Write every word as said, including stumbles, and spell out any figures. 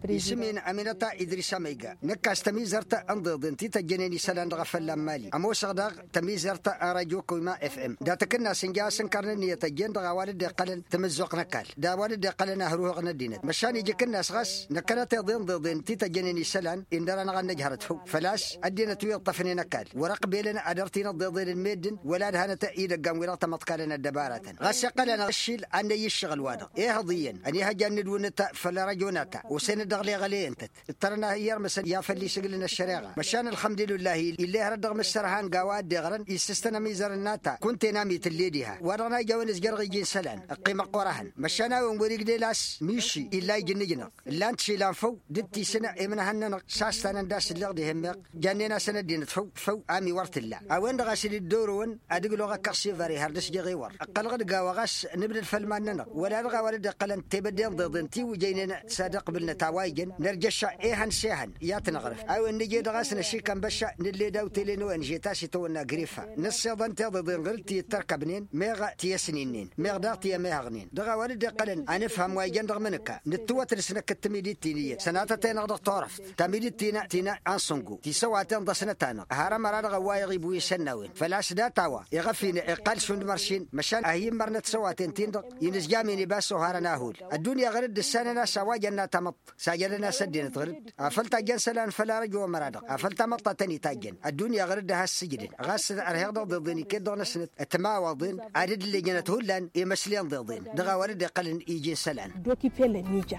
Isǝm-in aminăta idris amăyga. Năkk a-s tămizărt n-iḍeḍen ti tăjjănen isălan dăɣ-efălla n-mali ămoosăɣ daɣ tămizărt n-rajyo kăwima fm dat-akǝnnas ǝnja a-s ǝnkărăn ǝnniyăt ăjjeen dăɣ-a-wa dd-iqqălăn tamǝzzuɣt n-ăkall d-a-wa dd-iqqălăn ahruhăɣ n-ăddinăt măšan ija akǝnnas ɣas năkkănăt iḍeḍen d-iḍeḍen ti tăjjănen isălan indăr-anăɣ ad-nǝjhărăt făw făl-a-s ăddinăt wi ǝṭṭăfnen ăkall wăr-ăqbelăn ad-ărtin ǝḍeḍen n-meddǝn wăla ădhănăt idăggan-wi-dăɣ tamăḍkalăn ăddăbaratăn ɣas iqqăl-anăɣ ǝššil ad-năyy ǝššăɣǝl-wa-dăɣ ehăḍ iyyăn ănihăjja ad-nǝdwǝnnǝt făll-arăjo n-ata osănăt dăɣ-leɣăleyăn-tăt ǝttărăn a hi-irmǝsăn i-afăl isǝglǝn ăššăreɣa măšan ălxămdulǝllah ill'-e hărăt dăɣ-mǝssărhan g-a-wa dd-iɣrăn issǝstăn amizăr n-nata kunta enam itǝlle diha wa-dăɣ n-a ija a-wen ǝzjărăɣ iji n-isălan ǝqqimăɣ ɣur-ehăn măšan a-wen wăr-igdel a-s miši illa iji n-ǝjnăɣ ǝllan-t išilan făw dd-tisǝn imǝnhăn-nănăɣ s-a-s tanăn d-a-s ǝlleɣ dihen meɣ jannen-asăn ăddinăt făw făw a ǝmi wăr t-ǝlla a-wen-dăɣ a-s dd-ǝddorăwăn ad-ǝglăɣ ăkkăɣ s-ivar ihăr dăɣ-s jeɣ ewăr ǝqqălăɣ-dd g-a-wa ɣas nǝbdăd făll-iman-nănăɣ wăla dăɣ-a-wa dd-iqqălăn tebădde n-iḍeḍen ti wǝjăynen s-ad-ăqbǝlnăt a-wa ijăn nărjăšša ehăn s-ehăn i-ad-t-năɣrǝf a-wen nǝje dăɣ-a-s năšikăn băšša nǝlle daw-tele n-o n-žet a-s itawănna grifa nǝssiḍăn tiḍeḍen ɣǝr-dd ti ǝttărkăbnen meɣ ti ăsninnen meɣ daɣ ti ămehăɣnen dăɣ-a-wa dd-iqqălăn anǝfhăm wa ijăn dăɣ-imǝnǝka nǝttǝwăt d-asnăk d-tamidit-ti n-iyyăt sănatăt-enăɣ dăɣ-turăft tamidit-ti n-ansǝngo tisăwaten ḍăsnăt-anăɣ har ămăra dăɣ-ăwwayăɣ ibwi isănnawen făl-a-s dat-a-wa iɣăf-in iqqal šund măršin măšan ad-hi-immărnăt isăwaten-tin-dăɣ inǝzjam-in iba s-oharăn ahul ăddunya ɣǝr-dd ǝssanăn a-s a-wa jănna tamăḍt sajădăn-as ăddinăt ɣǝr-dd afăl tajjăn isălan făll-arăjo ămăra-dăɣ afăl tamăḍt a tăn-itajjăn ăddunya ɣǝr-dd a has-sǝjdǝn ɣas ărheɣ dăɣ-iḍeḍen iket-dăɣ năsnăt ătmawăḍen ad-dd-lejnăt hullan imăslen iḍeḍen dăɣ-a-wa dd-iqqălăn iji n-isălan. Doki pelăn ija.